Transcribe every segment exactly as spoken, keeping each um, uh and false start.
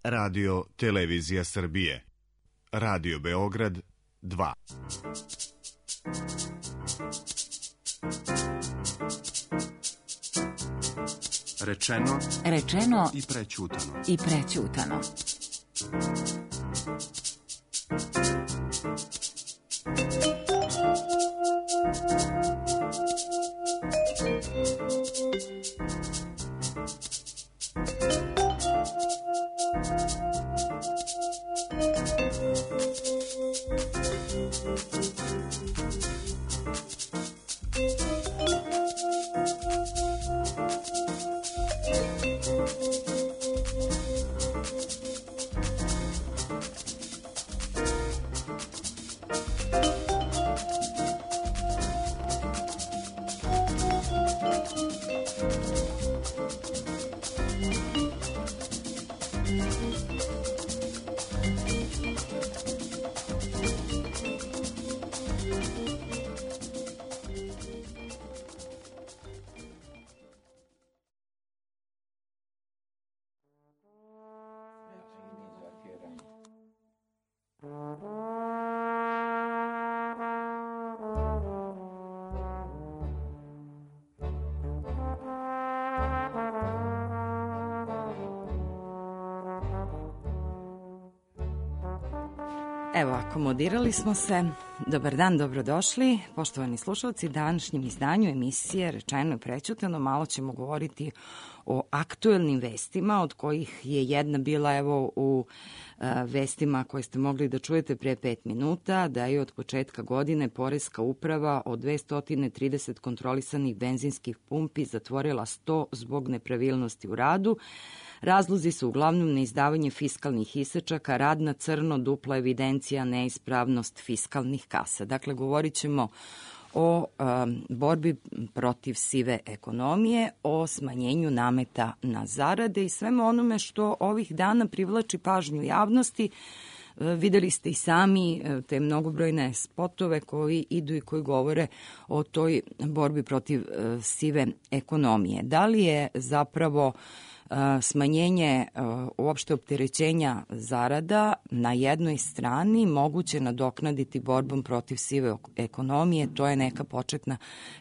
Radio Televizija Srbije. Radio Beograd dva. Rečeno, Rečeno i prećutano. i prećutano. Evo, akomodirali smo se. Dobar dan, dobrodošli. Poštovani slušalci, današnjem izdanju emisije Rečeno i prećutano malo ćemo govoriti o aktuelnim vestima, od kojih je jedna bila evo u a, vestima koje ste mogli da čujete pre pet minuta, da je od početka godine Poreska uprava od dvesta trideset kontrolisanih benzinskih pumpi zatvorila sto zbog nepravilnosti u radu. Razlozi su uglavnom neizdavanje fiskalnih isečaka, rad na crno, dupla evidencija, neispravnost fiskalnih kasa. Dakle, govorit ćemo o um, borbi protiv sive ekonomije, o smanjenju nameta na zarade i svemu onome što ovih dana privlači pažnju javnosti. Videli ste i sami te mnogobrojne spotove koji idu i koji govore o toj borbi protiv sive ekonomije. Da li je zapravo smanjenje uopšte opterećenja zarada na jednoj strani moguće nadoknaditi borbom protiv sive ekonomije? To je neka početna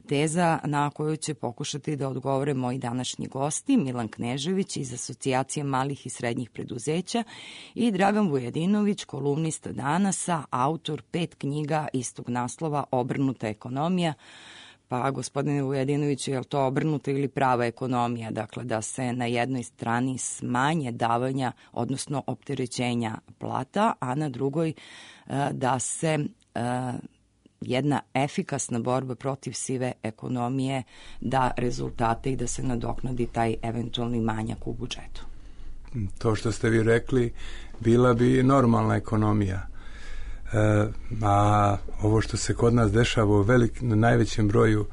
teza na koju će pokušati da odgovore moji današnji gosti, Milan Knežević iz Asocijacije malih i srednjih preduzeća i Dragan Vujadinović, kolumnista Danasa, autor pet knjiga istog naslova Obrnuta ekonomija. Pa, gospodine Vujadinoviću, je li to obrnuta ili prava ekonomija? Dakle, da se na jednoj strani smanje davanja, odnosno opterećenja plata, a na drugoj da se jedna efikasna borba protiv sive ekonomije da rezultate i da se nadoknadi taj eventualni manjak u budžetu. To što ste vi rekli, bila bi normalna ekonomija. E, a ovo što se kod nas dešava u velik, na najvećem broju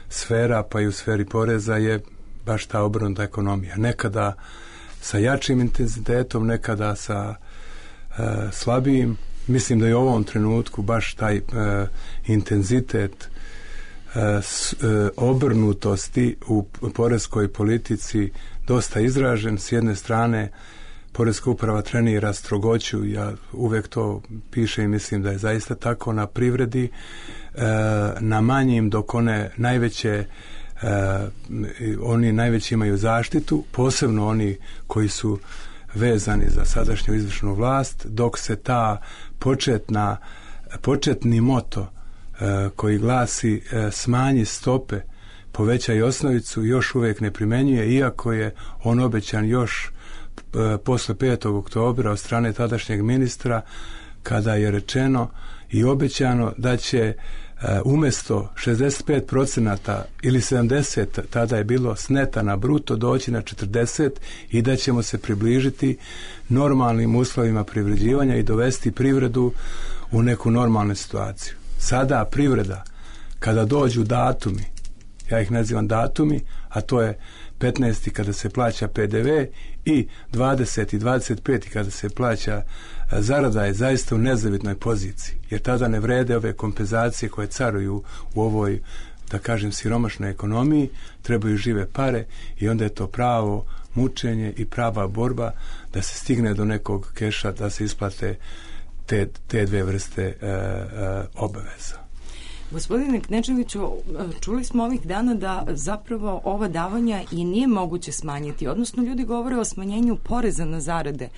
sfera, pa i u sferi poreza, je baš ta obrnuta ekonomija. Nekada sa jačim intenzitetom, nekada sa e, slabijim. Mislim da je u ovom trenutku baš taj e, intenzitet e, s, e, obrnutosti u poreskoj politici dosta izražen. S jedne strane, Poreska uprava trenira strogoću, ja uvek to pišem i mislim da je zaista tako, na privredi, e, na manjim, dok one najveće, e, oni najveći imaju zaštitu, posebno oni koji su vezani za sadašnju izvršnu vlast, dok se ta početna, početni moto e, koji glasi e, smanji stope, povećaj osnovicu, još uvek ne primenjuje, iako je on obećan još posle petog oktobra od strane tadašnjeg ministra, kada je rečeno i obećano da će umesto šezdeset pet procenata ili sedamdeset, tada je bilo s neta na bruto, doći na četrdeset i da ćemo se približiti normalnim uslovima privređivanja i dovesti privredu u neku normalnu situaciju. Sada privreda, kada dođu datumi, ja ih nazivam datumi, a to je petnaesti kada se plaća pe de ve i dvadeseti i dvadeset peti kada se plaća zarada, je zaista u nezavidnoj poziciji, jer tada ne vrede ove kompenzacije koje caruju u ovoj da kažem, siromašnoj ekonomiji, trebaju žive pare i onda je to pravo mučenje i prava borba da se stigne do nekog keša, da se isplate te, te dve vrste e, e, obaveza. Gospodine Knečeviću, čuli smo ovih dana da zapravo ova davanja i nije moguće smanjiti, odnosno ljudi govore o smanjenju poreza na zarade,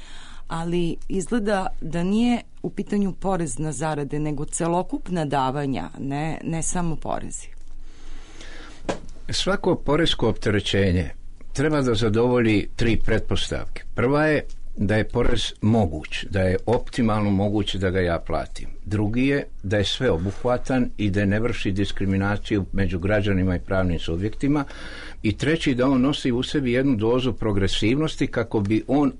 ali izgleda da nije u pitanju porez na zarade, nego celokupna davanja, ne, ne samo porezi. Svako poresko opterećenje treba da zadovolji tri pretpostavke. Prva je da je porez moguć, da je optimalno moguće da ga ja platim. Drugi je da je sveobuhvatan i da ne vrši diskriminaciju među građanima i pravnim subjektima. I treći, da on nosi u sebi jednu dozu progresivnosti kako bi on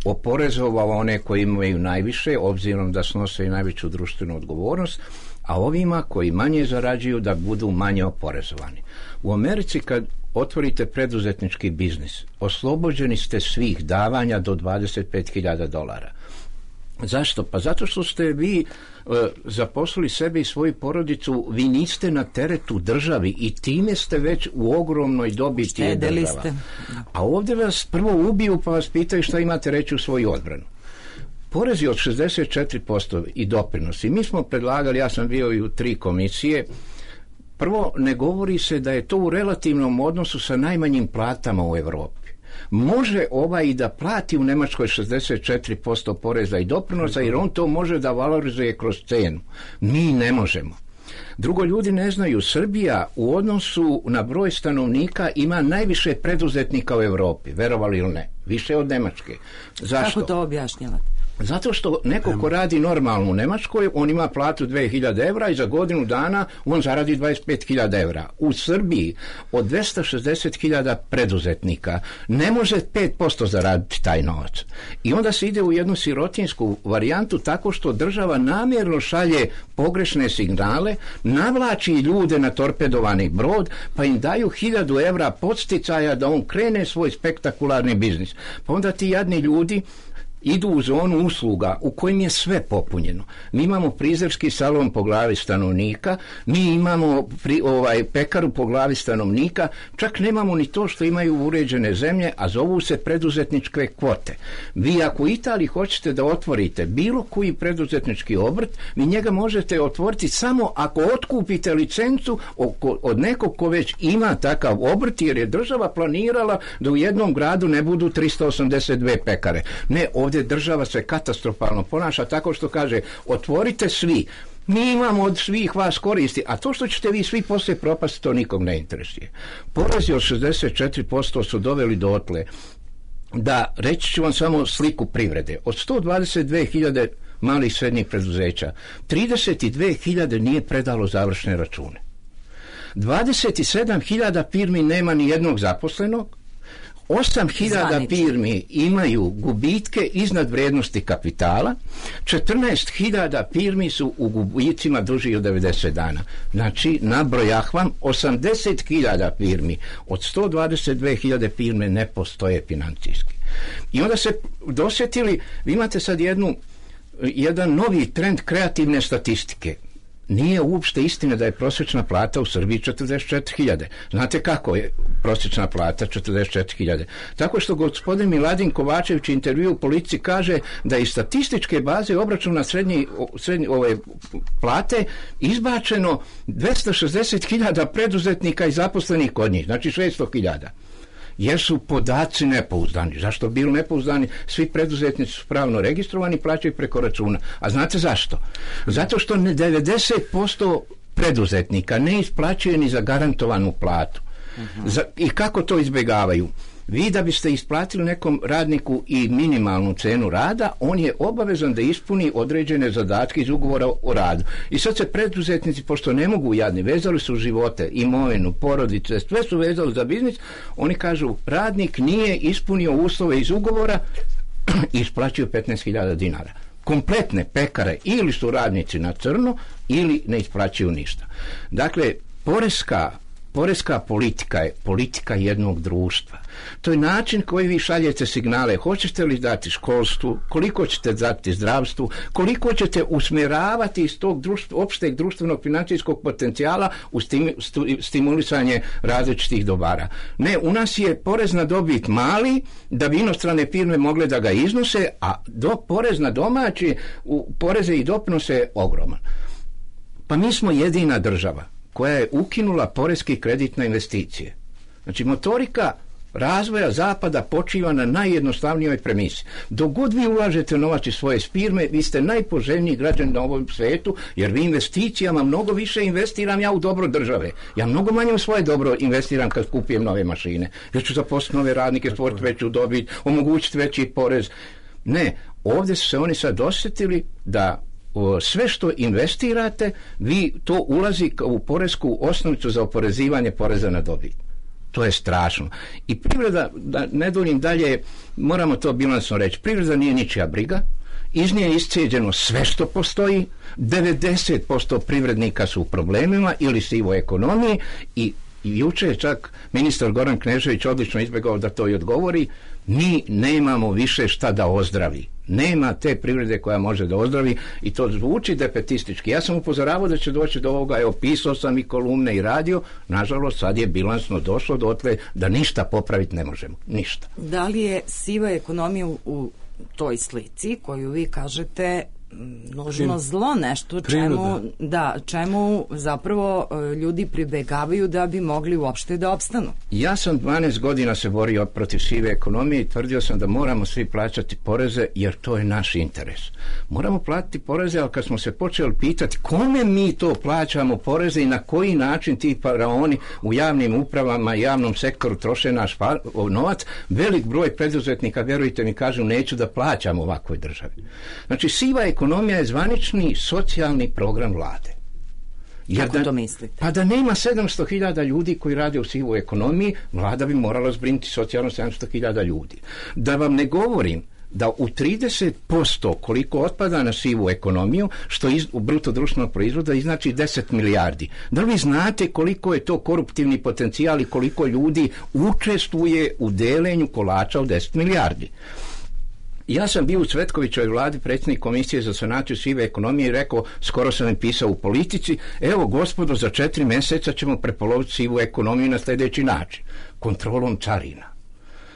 oporezovao one koji imaju najviše, obzirom da snose i najveću društvenu odgovornost, a ovima koji manje zarađuju da budu manje oporezovani. U Americi kad otvorite preduzetnički biznis, oslobođeni ste svih davanja do dvadeset pet hiljada dolara. Zašto? Pa zato što ste vi e, zaposlili sebe i svoju porodicu, vi niste na teretu državi i time ste već u ogromnoj dobiti je država. A ovdje vas prvo ubiju pa vas pitaju šta imate reći u svoju odbranu. Porezi od šezdeset četiri posto i doprinosi. Mi smo predlagali, ja sam bio i u tri komisije. Prvo, ne govori se da je to u relativnom odnosu sa najmanjim platama u Europi. Može ovaj i da plati u Njemačkoj šezdeset četiri posto poreza i doprinosa, jer on to može da valorizuje kroz cenu. Mi ne možemo. Drugo, ljudi ne znaju, Srbija u odnosu na broj stanovnika ima najviše preduzetnika u Europi, verovali ili ne, više od Njemačke. Zašto? Kako to objašnjavate? Zato što neko ko radi normalno u Njemačkoj, on ima platu dve hiljade evra i za godinu dana on zaradi dvadeset pet hiljada evra. U Srbiji od dvesta šezdeset hiljada preduzetnika ne može pet posto zaraditi taj novac. I onda se ide u jednu sirotinsku varijantu tako što država namjerno šalje pogrešne signale, navlači ljude na torpedovani brod, pa im daju hiljadu evra podsticaja da on krene svoj spektakularni biznis. Pa onda ti jadni ljudi idu u zonu usluga u kojim je sve popunjeno. Mi imamo frizerski salon po glavi stanovnika, mi imamo pri, ovaj, pekaru po glavi stanovnika, čak nemamo ni to što imaju uređene zemlje, a zovu se preduzetničke kvote. Vi ako u Italiji hoćete da otvorite bilo koji preduzetnički obrt, vi njega možete otvoriti samo ako otkupite licencu od nekog ko već ima takav obrt, jer je država planirala da u jednom gradu ne budu tristo osamdeset dve pekare. Ne, ovdje država se katastrofalno ponaša tako što kaže otvorite svi, mi imamo od svih vas koristi, a to što ćete vi svi poslije propasti, to nikom ne interesuje. Porezi od šezdeset četiri posto su doveli dotle da, reći ću vam samo sliku privrede, od sto dvadeset dve hiljade malih i srednjih preduzeća, trideset dve hiljade nije predalo završne račune. dvadeset sedam hiljada firmi nema ni jednog zaposlenog, osam hiljada firmi imaju gubitke iznad vrijednosti kapitala, četrnaest hiljada firmi su u gubicima duži od devedeset dana. Znači, nabrojah vam, osamdeset hiljada firmi od sto dvadeset dve hiljade firme ne postoje financijski. I onda se dosjetili, vi imate sad jednu, jedan novi trend kreativne statistike. Nije uopšte istina da je prosječna plata u Srbiji četrdeset četiri hiljade. Znate kako je prosječna plata četrdeset četiri hiljade? Tako što gospodin Miladin Kovačević u intervju u Politici kaže da iz statističke baze obračuna srednji, srednji, ove plate izbačeno dvesta šezdeset hiljada preduzetnika i zaposlenih kod njih, znači šesto hiljada. Jer su podaci nepouzdani. Zašto bili nepouzdani? Svi preduzetnici su pravno registrovani, plaćaju preko računa. A znate zašto? Zato što devedeset posto preduzetnika ne isplaćuje ni za garantovanu platu. Uh-huh. Za, i kako to izbjegavaju? Vi da biste isplatili nekom radniku i minimalnu cenu rada, on je obavezan da ispuni određene zadatke iz ugovora o radu. I sad se preduzetnici, pošto ne mogu jadni, vezali su živote, imovinu, porodice, sve su vezali za biznis, oni kažu, radnik nije ispunio uslove iz ugovora i isplaćuju petnaest hiljada dinara. Kompletne pekare ili su radnici na crno ili ne isplaćuju ništa. Dakle, poreska Poreska politika je politika jednog društva. To je način koji vi šaljete signale. Hoćete li dati školstvu, koliko ćete dati zdravstvu, koliko ćete usmjeravati iz tog društva, opšteg društvenog financijskog potencijala u stim, stu, stimulisanje različitih dobara. Ne, u nas je porez na dobit mali da bi inostrane firme mogle da ga iznose, a do, porez na domaći, u, poreze i doprinose ogroman. Pa mi smo jedina država koja je ukinula poreski kredit na investicije. Znači, motorika razvoja zapada počiva na najjednostavnijoj premisi. Dok god vi ulažete novac iz svoje firme, vi ste najpoželjniji građan na ovom svijetu, jer vi investicijama mnogo više investiram ja u dobro države. Ja mnogo manje u svoje dobro investiram kad kupujem nove mašine. Ja ću zaposliti nove radnike, stvoriti veću dobit, omogućiti veći porez. Ne, ovdje su se oni sad osjetili da o, sve što investirate, vi to ulazi u poresku osnovicu za oporezivanje poreza na dobit. To je strašno. I privreda, da ne duljim dalje, moramo to bilansno reći, privreda nije ničija briga, iz nje je iscijeđeno sve što postoji, devedeset posto privrednika su u problemima ili sivoj ekonomiji i jučer je čak ministar Goran Knežević odlično izbjegao da to i odgovori, mi nemamo više šta da ozdravi. Nema te privrede koja može da ozdravi i to zvuči defetistički. Ja sam upozoravao da će doći do ovoga, evo pisao sam i kolumne i radio, nažalost sad je bilansno došlo dotle da ništa popraviti ne možemo, ništa. Da li je siva ekonomija u, u toj slici koju vi kažete nužno zlo, nešto čemu, da, čemu zapravo ljudi pribegavaju da bi mogli uopšte da opstanu? Ja sam dvanaest godina se borio protiv sive ekonomije i tvrdio sam da moramo svi plaćati poreze jer to je naš interes. Moramo platiti poreze, ali kad smo se počeli pitati kome mi to plaćamo poreze i na koji način ti faraoni u javnim upravama i javnom sektoru troše naš novac, velik broj preduzetnika, vjerujte mi, kažu neću da plaćam ovakvoj državi. Znači, siva ekonomija Ekonomija je zvanični socijalni program vlade. Jer kako da, to mislite? Pa da nema sedamsto hiljada ljudi koji rade u sivoj ekonomiji, vlada bi morala zbrinuti socijalno sedamsto hiljada ljudi. Da vam ne govorim da u trideset posto koliko otpada na sivu ekonomiju, što iz, u bruto društvenog proizvoda znači deset milijardi. Da li vi znate koliko je to koruptivni potencijal i koliko ljudi učestvuje u delenju kolača od deset milijardi? Ja sam bio u Cvetkovićevoj vladi predsjednik komisije za sanaciju sive ekonomije i rekao, skoro sam im pisao u Politici, evo gospodo, za četiri mjeseca ćemo prepoloviti sivu ekonomiju na sljedeći način. Kontrolom carina.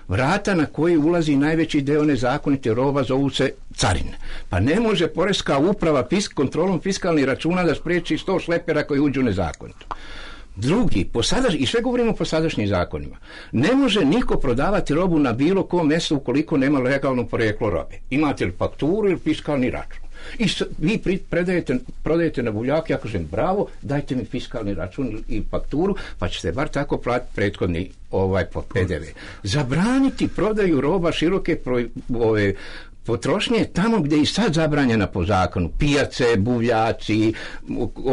Vrata na koje ulazi najveći deo nezakonite roba zovu se carine. Pa ne može poreska uprava fisk, kontrolom fiskalnih računa da spriječi sto šlepera koji uđu nezakonito. Drugi, po sadaš, i sve govorimo po sadašnjim zakonima, ne može niko prodavati robu na bilo kom mjestu ukoliko nema legalno porijeklo robe. Imate li fakturu ili fiskalni račun? I s, vi pri, predajete, prodajete na buljak, ja kažem bravo, dajte mi fiskalni račun i fakturu, pa ćete bar tako platiti prethodni ovaj P D V. Zabraniti prodaju roba široke pro, ove, potrošnje tamo gdje je i sad zabranjena po zakonu, pijace, buvljaci,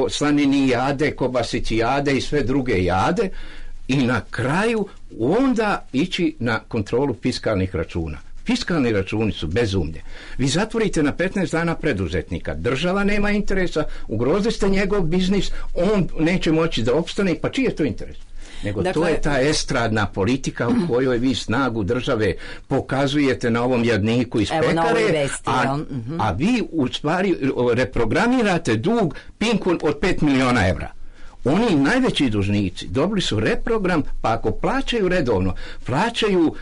slanini jade, kobasici jade i sve druge jade, i na kraju onda ići na kontrolu fiskalnih računa. Fiskalni računi su bezumlje. Vi zatvorite na petnaest dana preduzetnika, država nema interesa, ugrozili ste njegov biznis, on neće moći da opstane, pa čiji je to interes? Nego dakle, to je ta estradna politika u kojoj vi snagu države pokazujete na ovom jadniku iz pekare, vesti, a, uh-huh. a vi u stvari reprogramirate dug Pinku od pet miliona evra. Oni najveći dužnici dobili su reprogram, pa ako plaćaju redovno, plaćaju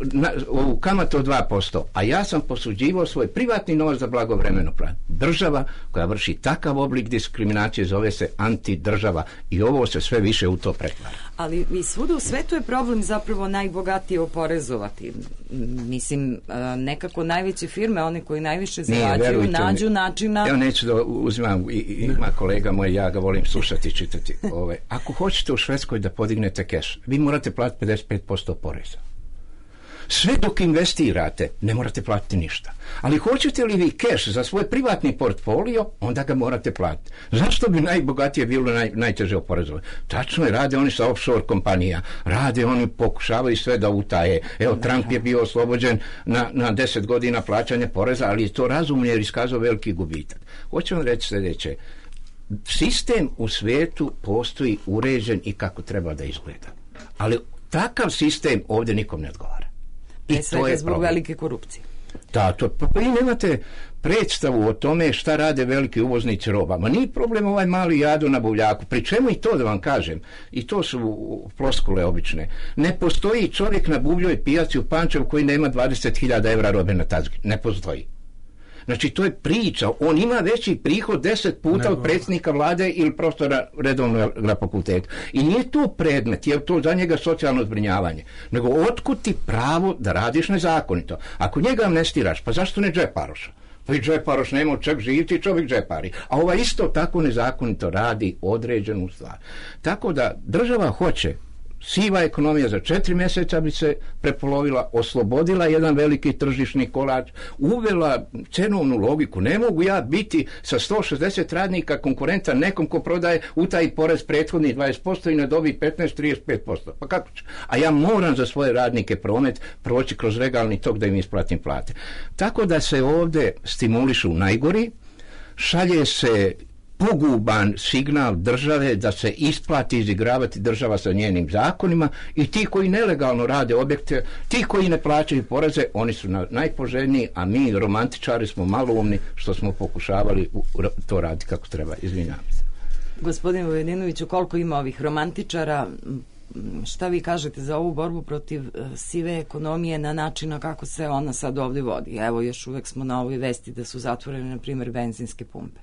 na, u kamatu od dva posto, a ja sam posuđivao svoj privatni novac za blagovremeno plan. Država koja vrši takav oblik diskriminacije zove se antidržava i ovo se sve više u to pretvara. Ali i svuda u svetu je problem zapravo najbogatije oporezovati. Mislim, nekako najveće firme, one koji najviše zarađuju, nađu načina... Evo neću da uzimam, i, ima kolega moj, ja ga volim slušati i čitati. Ove. Ako hoćete u Švedskoj da podignete keš, vi morate platiti pedeset pet posto poreza. Sve dok investirate, ne morate platiti ništa. Ali hoćete li vi keš za svoj privatni portfolio, onda ga morate platiti. Zašto bi najbogatije bilo naj, najteže oporezovati? Tačno je, rade oni sa offshore kompanija, rade oni, pokušavaju sve da utaje. Evo, Trump je bio oslobođen na, na deset godina plaćanja poreza, ali je to razumno jer iskazao veliki gubitak. Hoću vam reći sljedeće. sistem u svijetu postoji uređen i kako treba da izgleda. Ali takav sistem ovdje nikom ne odgovara. I to je zbog problem. Velike korupcije. Da, to, pa, pa i nemate predstavu o tome šta rade veliki uvoznici roba. Ma nije problem ovaj mali jado na buvljaku. Pri čemu i to da vam kažem, i to su floskule obične. Ne postoji čovjek na buvljoj pijaci u Pančevu koji nema dvadeset hiljada evra robe na tazgi. Ne postoji. Znači, to je priča. On ima veći prihod deset puta Nego. od predsjednika vlade ili profesora redovno na fakultetu. I nije to predmet, je to za njega socijalno zbrinjavanje. Nego otkud ti pravo da radiš nezakonito? Ako njega amnestiraš, pa zašto ne džeparoša? Pa i džeparoš nema od čeg živiti, čovjek džepari. A ova isto tako nezakonito radi određenu stvar. Tako da država hoće, siva ekonomija za četiri mjeseca bi se prepolovila, oslobodila jedan veliki tržišni kolač, uvela cenovnu logiku. Ne mogu ja biti sa sto šezdeset radnika konkurenta nekom ko prodaje utaji porez prethodni dvadeset posto i ne dobi petnaest do trideset pet posto. Pa kako će? A ja moram za svoje radnike promet proći kroz legalni tok da im isplatim plate. Tako da se ovdje stimulišu najgori, šalje se poguban signal države da se isplati izigravati država sa njenim zakonima i ti koji nelegalno rade objekte, ti koji ne plaćaju poreze, oni su najpoželjniji, a mi romantičari smo maloumni što smo pokušavali to raditi kako treba. Izvinjavam se. Gospodine Vujadinoviću, koliko ima ovih romantičara? Šta vi kažete za ovu borbu protiv sive ekonomije na način na kako se ona sad ovdje vodi? Evo, još uvek smo na ovoj vesti da su zatvorene, na primjer, benzinske pumpe.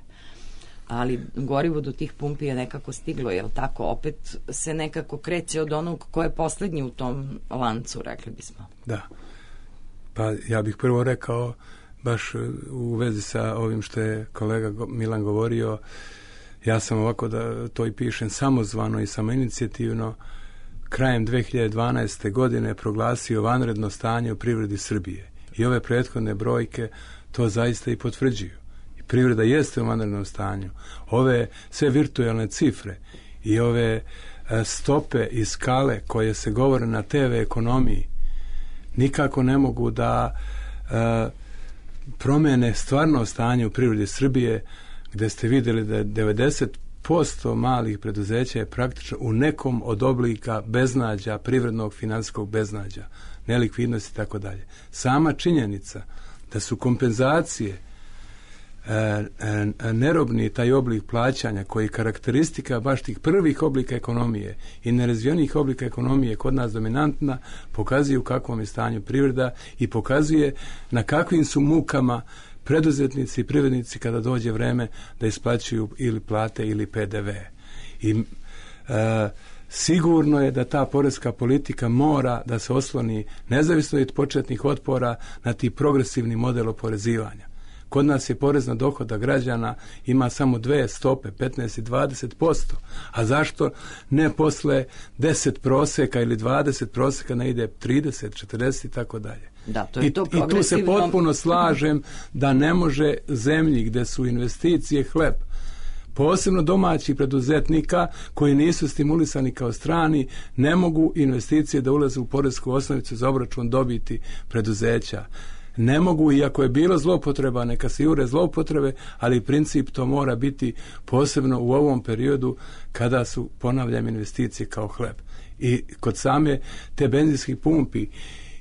Ali gorivo do tih pumpi je nekako stiglo, jel tako? Opet se nekako kreće od onog ko je posljednji u tom lancu, rekli bismo. Da. Pa ja bih prvo rekao, baš u vezi sa ovim što je kolega Milan govorio, ja sam ovako da to i pišem samozvano i samoinicijativno, krajem dve hiljade dvanaeste. godine proglasio vanredno stanje u privredi Srbije. I ove prethodne brojke to zaista i potvrđuju. Privreda jeste u vanrednom stanju. Ove sve virtualne cifre i ove e, stope i skale koje se govore na te ve ekonomiji nikako ne mogu da e, promene stvarno stanje u privredi Srbije, gde ste vidjeli da je devedeset posto malih preduzeća je praktično u nekom od oblika beznađa, privrednog finansijskog beznađa, nelikvidnosti i tako dalje. Sama činjenica da su kompenzacije E, e, nerobni taj oblik plaćanja koji je karakteristika baš tih prvih oblika ekonomije i nerazvijenih oblika ekonomije kod nas dominantna, pokazuje u kakvom je stanju privreda i pokazuje na kakvim su mukama preduzetnici i privrednici kada dođe vreme da isplaćuju ili plate ili pe de ve. I e, sigurno je da ta poreska politika mora da se osloni nezavisno od početnih otpora na ti progresivni model oporezivanja. Kod nas je porez na dohodak građana ima samo dve stope, petnaest i dvadeset posto. A zašto ne posle deset proseka ili dvadeset proseka ne ide trideset, četrdeset i tako dalje? Da, to je to I, I tu se potpuno slažem da ne može zemlji gde su investicije hleb, posebno domaćih preduzetnika koji nisu stimulisani kao strani, ne mogu investicije da ulaze u poresku osnovicu za obračun dobiti preduzeća. Ne mogu, iako je bilo zloupotreba, neka se jure zloupotrebe, ali princip to mora biti posebno u ovom periodu kada su, ponavljam, investicije kao hleb. I kod same te benzinskih pumpi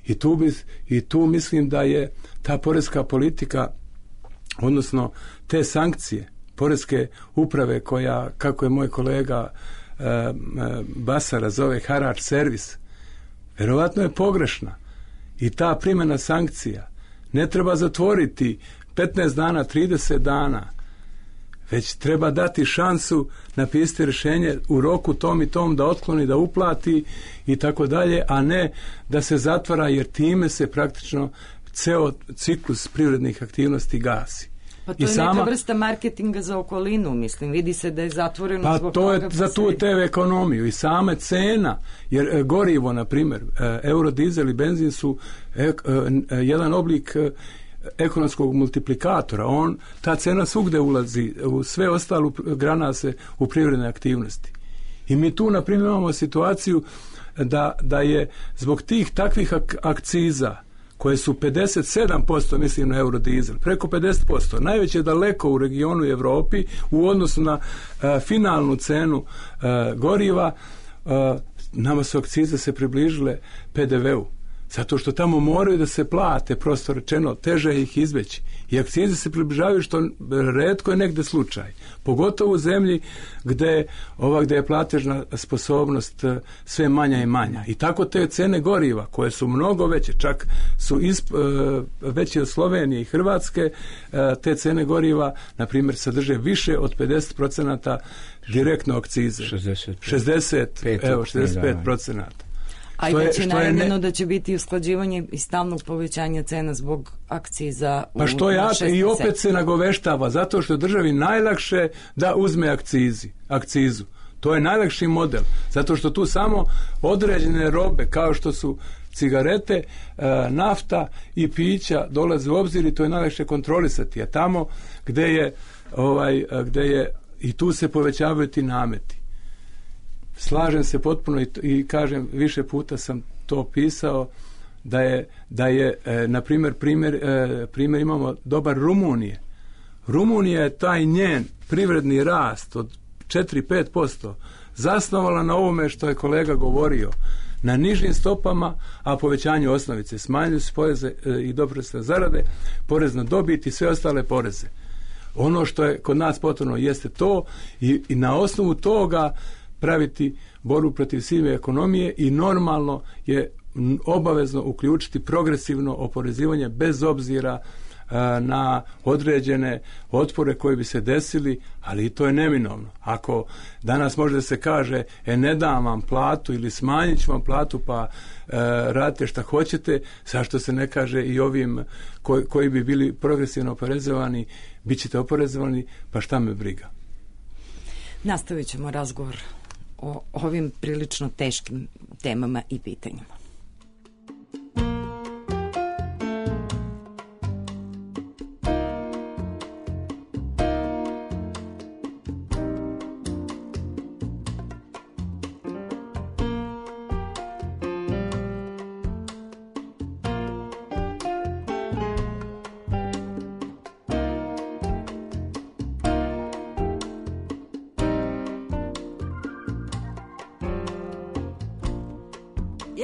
i tu, bi, i tu mislim da je ta poreska politika, odnosno te sankcije poreske uprave koja, kako je moj kolega e, e, Basara zove harač servis, verovatno je pogrešna. I ta primjena sankcija ne treba zatvoriti petnaest dana, trideset dana, već treba dati šansu, napisati rješenje u roku tom i tom da otkloni, da uplati i tako dalje, a ne da se zatvara, jer time se praktično ceo ciklus privrednih aktivnosti gasi. Pa to I je sama, neka vrsta marketinga za okolinu, mislim, vidi se da je zatvoreno pa zbog to toga. Je za tu te ve ekonomiju i same cena, jer e, gorivo, na primjer, e, eurodizel i benzin su e, e, jedan oblik e, ekonomskog multiplikatora. On, ta cena svugde ulazi, u sve ostalo grana se u privredne aktivnosti. I mi tu, na primjer, imamo situaciju da, da je zbog tih takvih ak- akciza koje su pedeset sedam posto, mislim na eurodizel, preko pedeset posto, najveće daleko u regionu i Evropi u odnosu na uh, finalnu cenu uh, goriva, uh, nama su akcize se približile pe de ve u. Zato što tamo moraju da se plate, prosto rečeno, teže ih izveći. I akcize se približavaju, što retko je negde slučaj. Pogotovo u zemlji gde, ova, gde je platežna sposobnost sve manja i manja. I tako te cene goriva, koje su mnogo veće, čak su isp, veće od Slovenije i Hrvatske, te cene goriva, na primjer, sadrže više od pedeset procenata direktno akcize. šezdeset pet, evo, šezdeset pet procenata. A i već je najavljeno ne... da će biti usklađivanje i stalnog povećanja cena zbog akciza. Pa što ja i opet se nagoveštava, zato što državi najlakše da uzme akcizi, akcizu. To je najlakši model, zato što tu samo određene robe, kao što su cigarete, nafta i pića dolaze u obzir i to je najlakše kontrolisati. A tamo gde je, ovaj, gde je i tu se povećavaju ti nameti. Slažem se potpuno i, i kažem, više puta sam to pisao, da je, da je e, na primjer, primjer, e, primjer imamo dobar Rumunije. Rumunija je taj njen privredni rast od četiri do pet posto zasnovala na ovome što je kolega govorio, na nižim stopama, a povećanju osnovice. Smanjili su poreze e, i doprinose na zarade, porez na dobit i sve ostale poreze. Ono što je kod nas potrebno jeste to i, i na osnovu toga praviti borbu protiv sive ekonomije i normalno je obavezno uključiti progresivno oporezivanje bez obzira a, na određene otpore koji bi se desili, ali i to je neminovno. Ako danas može da se kaže e ne dam vam platu ili smanjit ću vam platu pa e, radite šta hoćete, zašto se ne kaže i ovim koji, koji bi bili progresivno oporezovani, bit ćete oporezovani, pa šta me briga. Nastavit ćemo razgovor o ovim prilično teškim temama i pitanjima.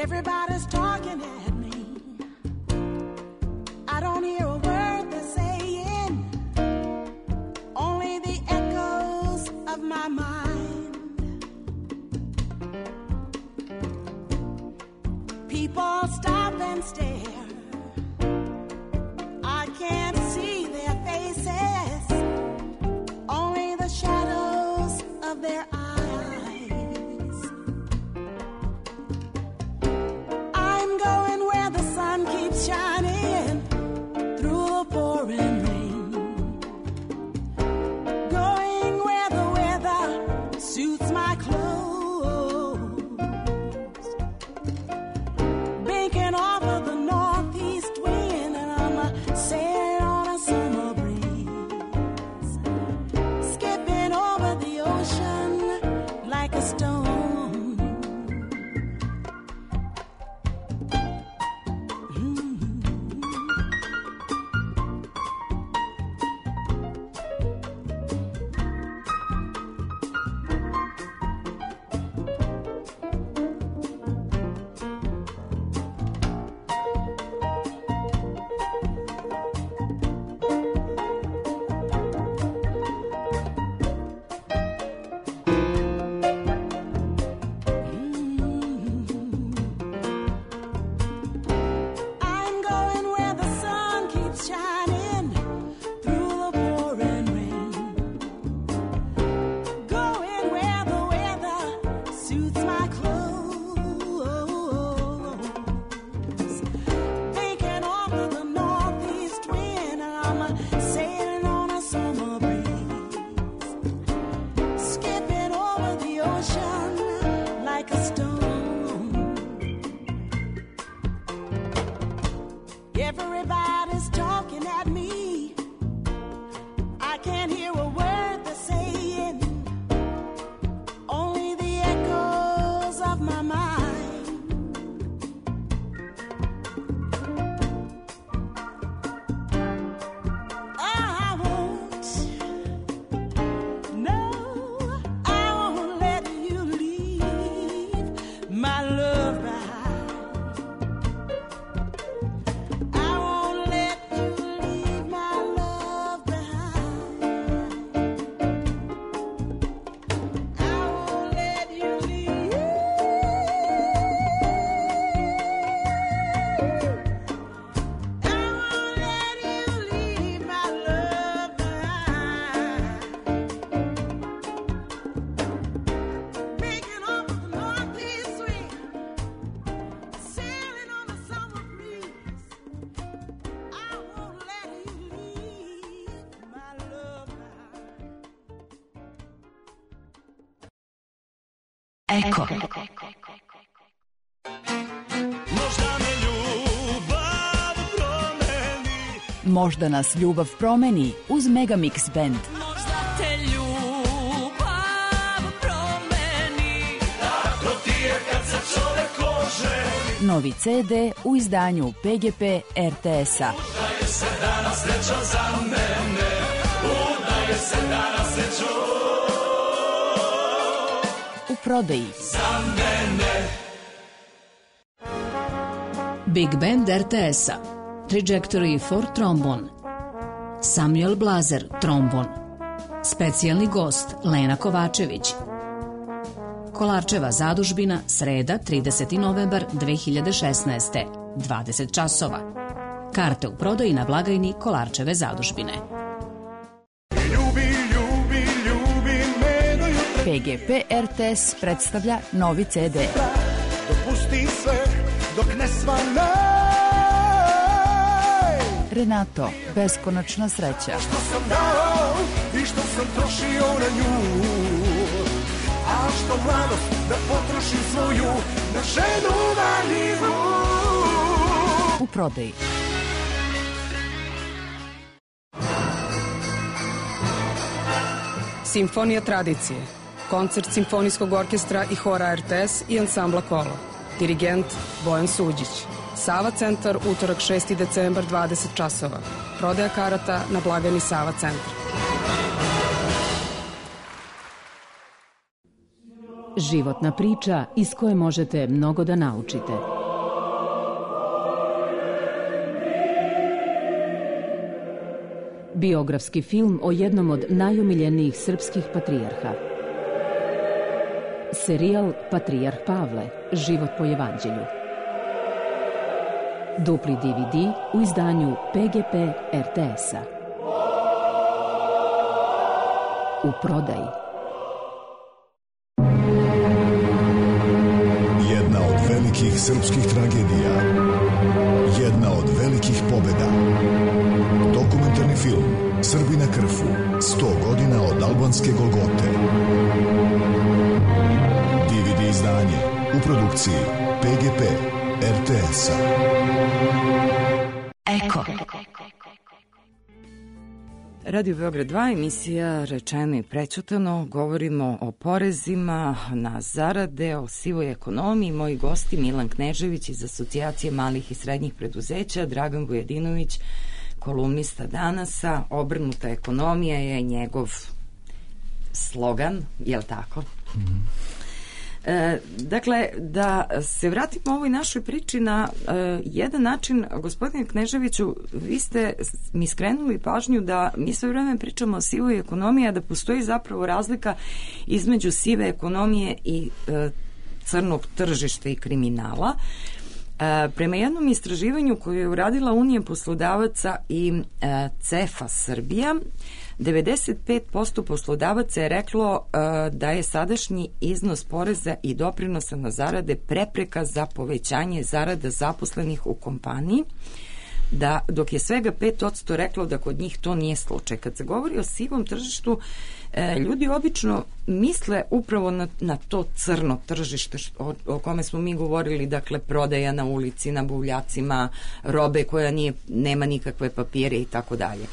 Everybody's talking at me. I don't hear a word they're saying, only the echoes of my mind. People stop and stare. I can't see their faces, only the shadows of their eyes. Shining through the pouring rain, going where the weather suits my clothes, banking off of the northeast wind, and I'm sailing on a summer breeze, skipping over the ocean like a stone. Everybody's talking at me. I can't hear a word they're saying, only the echoes of my mind. Eko. Možda nas ljubav promeni uz Megamix Band. Možda te ljubav promeni. Tako ti je kad se čovek oženi. Novi ce de u izdanju pe ge pe er te es-a. Udaje se danas sreća za mene. Udaje se danas srećo. U prodaji. Za mene. Big Band er te es-a. Trajectory for Trombone. Samuel Blazer, trombon. Specijalni gost Lena Kovačević. Kolarčeva zadužbina, sreda, trideseti novembar dve hiljade šesnaeste. dvadeset časova. Karte u prodaji na blagajni Kolarčeve zadužbine. Ljubi, ljubi, ljubi me do jutra. pe ge pe er te es predstavlja novi ce de. Dopusti sve dok ne svane. Renato, beskonačna sreća. Što sam dao i što sam trošio na nju. A što mladost da potrošim svoju na ženu valjivu. U prodaji. Simfonija tradicije. Koncert Simfonijskog orkestra i hora er te es i ansambla Kolo. Dirigent Bojan Suđić. Sava centar, utorak šesti decembar, dvadeset časova. Prodaja karata na blagajni Sava centar. Životna priča iz koje možete mnogo da naučite. Biografski film o jednom od najomiljenijih srpskih patrijarha. Serijal Patrijarh Pavle, život po evanđelju. Dupli de ve de u izdanju pe ge pe er te es-a. U prodaji. Jedna od velikih srpskih tragedija. Jedna od velikih pobjeda. Dokumentarni film Srbi na Krfu. sto godina od albanske Golgote. de ve de izdanje u produkciji pe ge pe er te es-a. Eko. Radio Beograd dva, emisija Rečeno i prećutano. Govorimo o porezima na zarade, o sivoj ekonomiji. Moji gosti Milan Knežević iz Asocijacije malih i srednjih preduzeća, Dragan Vujedinović, kolumnista Danasa. Obrnuta ekonomija je njegov slogan, je li tako? Mm-hmm. E, dakle, da se vratimo ovoj našoj priči na e, jedan način, gospodine Kneževiću, vi ste mi skrenuli pažnju da mi sve vreme pričamo o sivoj ekonomiji, a da postoji zapravo razlika između sive ekonomije i e, crnog tržišta i kriminala. E, prema jednom istraživanju koje je uradila Unija poslodavaca i e, cefa Srbija, devedeset pet posto poslodavaca je reklo uh, da je sadašnji iznos poreza i doprinosa na zarade prepreka za povećanje zarada zaposlenih u kompaniji, da, dok je svega pet posto reklo da kod njih to nije slučaj. Kad se govori o sivom tržištu, e, ljudi obično misle upravo na, na to crno tržište o, o kome smo mi govorili, dakle prodaja na ulici, na buvljacima, robe koja nije, nema nikakve papire i tako dalje.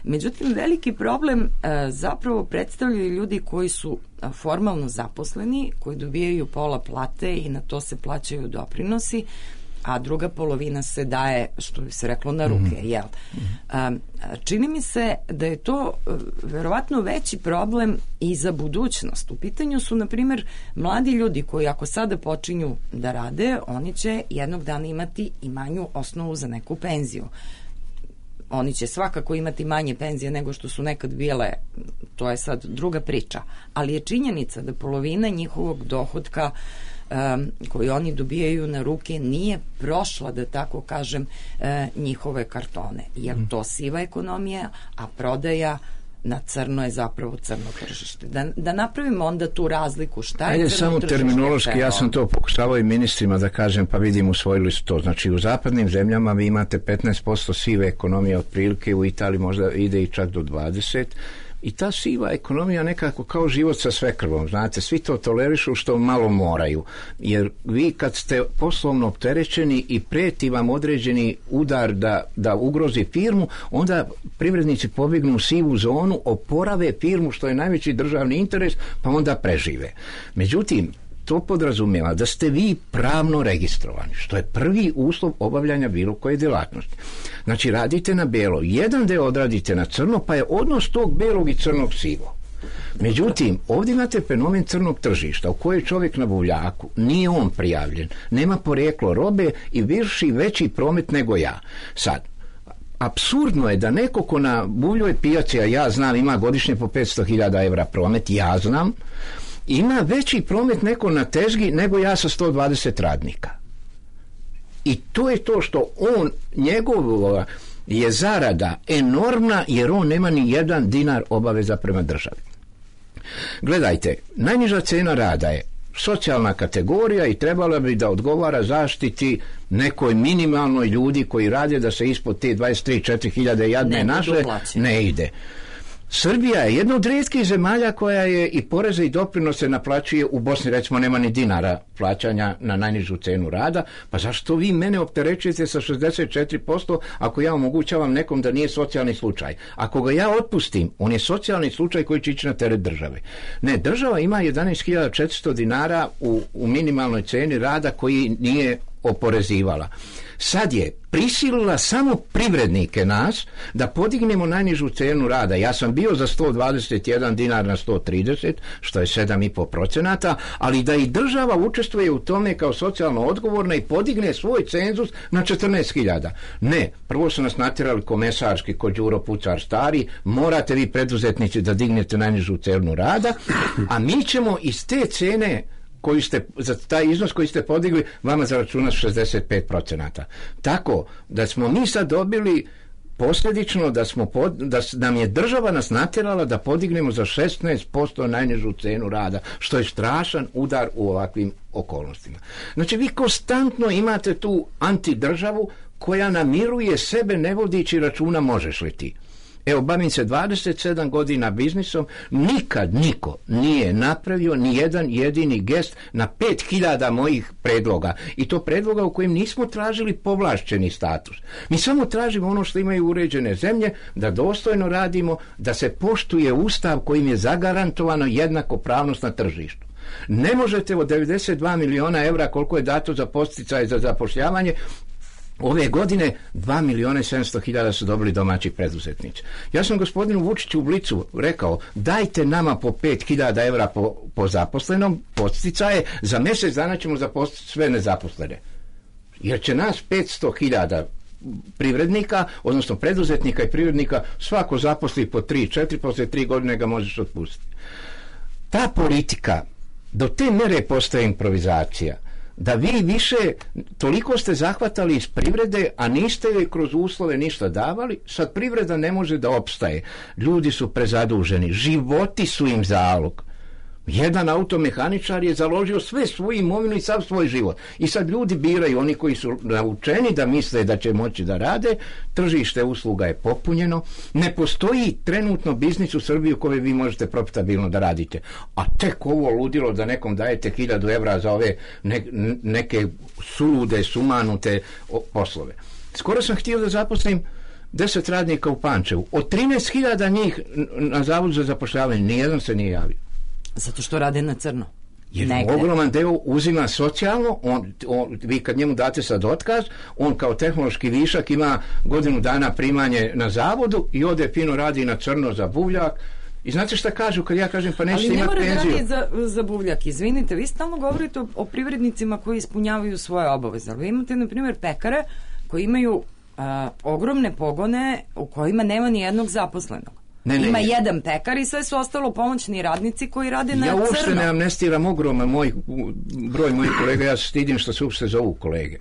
Međutim, veliki problem e, zapravo predstavljaju ljudi koji su formalno zaposleni, koji dobijaju pola plate i na to se plaćaju doprinosi, a druga polovina se daje, što bi se reklo, na ruke, mm-hmm. jel? Um, čini mi se da je to uh, verovatno veći problem i za budućnost. U pitanju su, na primjer, mladi ljudi koji ako sada počinju da rade, oni će jednog dana imati i manju osnovu za neku penziju. Oni će svakako imati manje penzije nego što su nekad bile, to je sad druga priča, ali je činjenica da polovina njihovog dohotka um, koji oni dobijaju na ruke nije prošla, da tako kažem, uh, njihove kartone. Jer to siva ekonomija, a prodaja na crno je zapravo crno tržište. Da, da napravimo onda tu razliku. Šta je Ajde, crno samo tržište? terminološki, ja sam to pokušavao i ministrima da kažem, pa vidim, usvojili su to. Znači, u zapadnim zemljama vi imate petnaest posto sive ekonomije otprilike, u Italiji možda ide i čak do dvadeset. I ta siva ekonomija nekako kao život sa svekrvom, znate, svi to tolerišu što malo moraju, jer vi kad ste poslovno opterećeni i prijeti vam određeni udar da, da ugrozi firmu, onda privrednici pobjegnu u sivu zonu, oporave firmu što je najveći državni interes, pa onda prežive. Međutim, to podrazumijeva da ste vi pravno registrovani, što je prvi uslov obavljanja bilo koje djelatnosti. Znači, radite na bijelo, jedan deo odradite na crno, pa je odnos tog bijelog i crnog sivo. Međutim, ovdje imate fenomen crnog tržišta u kojoj čovjek na buvljaku, nije on prijavljen, nema porijeklo robe i vrši veći promet nego ja. Sad, apsurdno je da neko ko na buvljoj pijaci, a ja znam, ima godišnje po petsto hiljada evra promet, ja znam, ima veći promet neko na tezgi nego ja sa sto dvadeset radnika. I to je to što on, njegov je zarada enormna jer on nema ni jedan dinar obaveza prema državi. Gledajte, najniža cena rada je socijalna kategorija i trebala bi da odgovara zaštiti nekoj minimalnoj ljudi koji rade, da se ispod te dvadeset tri do četiri hiljade jadne ne, naše ne ide. Srbija je jedna od rijetkih zemalja koja je i poreze i doprinose naplaćuje. U Bosni recimo nema ni dinara plaćanja na najnižu cenu rada, pa zašto vi mene opterećujete sa šezdeset četiri posto ako ja omogućavam nekom da nije socijalni slučaj? Ako ga ja otpustim, on je socijalni slučaj koji će ići na teret države. Ne, država ima jedanaest hiljada četiristo dinara u, u minimalnoj ceni rada koji nije oporezivala. Sad je prisilila samo privrednike nas da podignemo najnižu cenu rada. Ja sam bio za sto dvadeset jedan dinar na sto trideset, što je sedam i po procenata, ali da i država učestvuje u tome kao socijalno odgovorna i podigne svoj cenzus na četrnaest hiljada. Ne, prvo su nas natjerali komesarski kod Đuro Pucar stari, morate vi preduzetnici da dignete najnižu cenu rada, a mi ćemo iz te cene koju ste, za taj iznos koji ste podigli, vama zaračunati šezdeset pet procenata. Tako da smo mi sad dobili posljedično da, smo pod, da nam je država nas natjerala da podignemo za šesnaest posto najnižu cenu rada, što je strašan udar u ovakvim okolnostima. Znači, vi konstantno imate tu antidržavu koja namiruje sebe ne vodići računa možeš li ti. Evo, bavim se dvadeset sedam godina biznisom, nikad niko nije napravio ni jedan jedini gest na pet hiljada mojih predloga. I to predloga u kojim nismo tražili povlašćeni status. Mi samo tražimo ono što imaju uređene zemlje, da dostojno radimo, da se poštuje Ustav kojim je zagarantovano jednakopravnost na tržištu. Ne možete od devedeset dva miliona evra koliko je dato za podsticaje za zapošljavanje, ove godine dva miliona i sedamsto hiljada su dobili domaći preduzetnici. Ja sam gospodinu Vučiću u Blicu rekao, dajte nama po pet hiljada evra po, po zaposlenom, podsticaje, za mjesec dana ćemo zaposliti sve nezaposlene. Jer će nas petsto hiljada privrednika, odnosno preduzetnika i privrednika, svako zaposli po tri četiri, poslije tri godine ga možeš otpustiti. Ta politika, do te mere postaje improvizacija, da vi više, toliko ste zahvatali iz privrede, a niste joj kroz uslove ništa davali, sad privreda ne može da opstaje. Ljudi su prezaduženi, životi su im zalog. Jedan automehaničar je založio sve svoju imovinu i sav svoj život. I sad ljudi biraju, oni koji su naučeni da misle da će moći da rade, tržište usluga je popunjeno, ne postoji trenutno biznis u Srbiji u kojoj vi možete profitabilno da radite. A tek ovo ludilo da nekom dajete hiljadu evra za ove ne, neke sulude, sumanute poslove. Skoro sam htio da zaposlim deset radnika u Pančevu. Od trinaest hiljada njih na Zavodu za zapošljavanje nijedan se nije javio. Zato što rade na crno. Jer negde ogroman deo uzima socijalno, on, on, vi kad njemu date sad otkaz, on kao tehnološki višak ima godinu dana primanje na zavodu i ode fino radi na crno za buvljak. I znate šta kažu kad ja kažem pa nećete imati penziju? Ali ne mora da radi za, za buvljak. Izvinite, vi stalno govorite o, o privrednicima koji ispunjavaju svoje obaveze. Ali vi imate, na primjer, pekare koji imaju a, ogromne pogone u kojima nema ni jednog zaposlenog. Ne, ne, Ima ne. jedan pekar i sve su ostalo pomoćni radnici koji rade na crno. Ja uopšte ne amnestiram ogroman moj, broj mojih kolega, ja se stidim što se uopšte zovu kolege.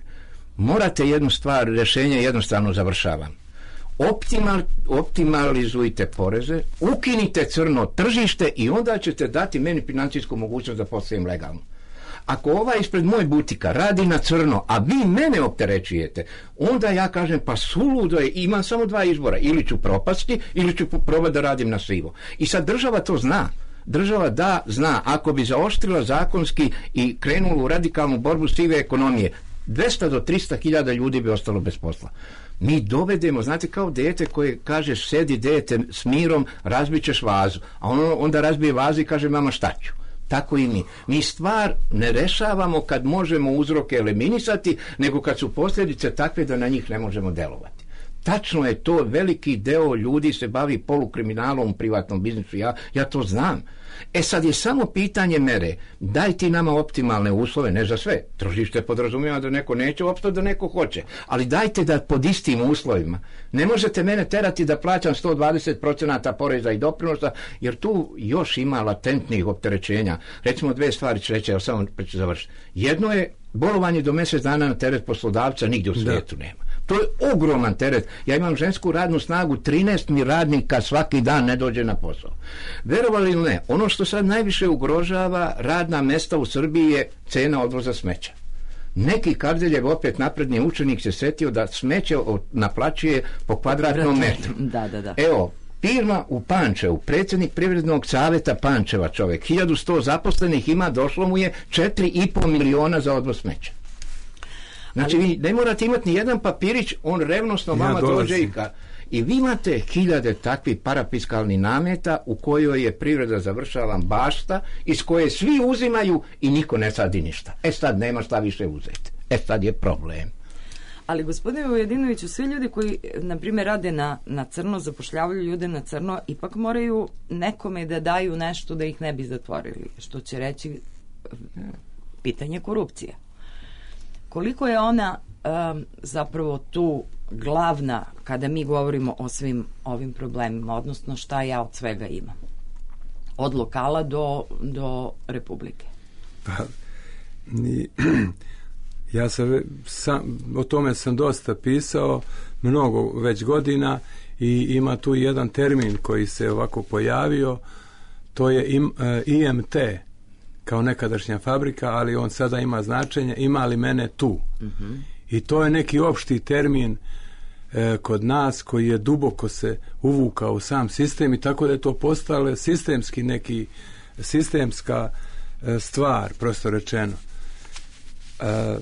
Morate jednu stvar, rješenje jednostavno završavam. Optimal, optimalizujte poreze, ukinite crno tržište i onda ćete dati meni financijsku mogućnost da postavim legalno. Ako ovaj ispred moj butika radi na crno, a vi mene opterećujete, onda ja kažem, pa suludo je, imam samo dva izbora, ili ću propasti, ili ću probati da radim na sivo. I sad država to zna. Država da zna, ako bi zaoštrila zakonski i krenula u radikalnu borbu sive ekonomije, dvesta do trista hiljada ljudi bi ostalo bez posla. Mi dovedemo, znate, kao dete koje kaže, sedi dete s mirom, razbit ćeš vazu, a ono onda razbije vazu i kaže, mama, šta ću? Tako i mi. Mi stvar ne rešavamo kad možemo uzroke eliminisati, nego kad su posljedice takve da na njih ne možemo delovati. Tačno je to, veliki deo ljudi se bavi polukriminalom u privatnom biznisu, ja, ja to znam. E sad je samo pitanje mere, daj ti nama optimalne uslove, ne za sve, tržište podrazumijeva da neko neće opstati, da neko hoće, ali dajte da pod istim uslovima. Ne možete mene terati da plaćam sto dvadeset procenata poreza i doprinosa, jer tu još ima latentnih opterećenja. Recimo dve stvari ću reći, evo samo ću završiti. Jedno je bolovanje do mjesec dana na teret poslodavca, nigdje u svijetu da. nema. To je ogroman teret. Ja imam žensku radnu snagu, trinaest mi radnika svaki dan ne dođe na posao. Verovali ili ne, ono što sad najviše ugrožava radna mesta u Srbiji je cena odvoza smeća. Neki Kardeljev, opet napredni učenik, se setio da smeće naplaćuje po kvadratnom metru. Da, da, da. Evo, firma u Pančevu, predsjednik Privrednog savjeta Pančeva, čovjek, hiljadu sto zaposlenih ima, došlo mu je četiri i pol miliona za odvoz smeća. Znači, vi ne morate imati ni jedan papirić, on revnosno vama ja dođe i ka... I vi imate hiljade takvih parafiskalnih nameta u kojoj je privreda, završavam, bašta, iz koje svi uzimaju i niko ne sadi ništa. E sad nema šta više uzeti. E sad je problem. Ali, gospodine Ujedinoviću, svi ljudi koji, na primjer, rade na, na crno, zapošljavaju ljude na crno, ipak moraju nekome da daju nešto da ih ne bi zatvorili. Što će reći pitanje korupcije. Koliko je ona um, zapravo tu glavna kada mi govorimo o svim ovim problemima, odnosno šta ja od svega imam? Od lokala do, do Republike. Pa, ni, ja sam, sam, o tome sam dosta pisao, mnogo već godina, i ima tu jedan termin koji se ovako pojavio, to je im, e, I M T, kao nekadašnja fabrika, ali on sada ima značenje, ima li mene tu. Mm-hmm. I to je neki opšti termin e, kod nas koji je duboko se uvukao u sam sistem, i tako da je to postalo sistemski neki, sistemska e, stvar, prosto rečeno. E,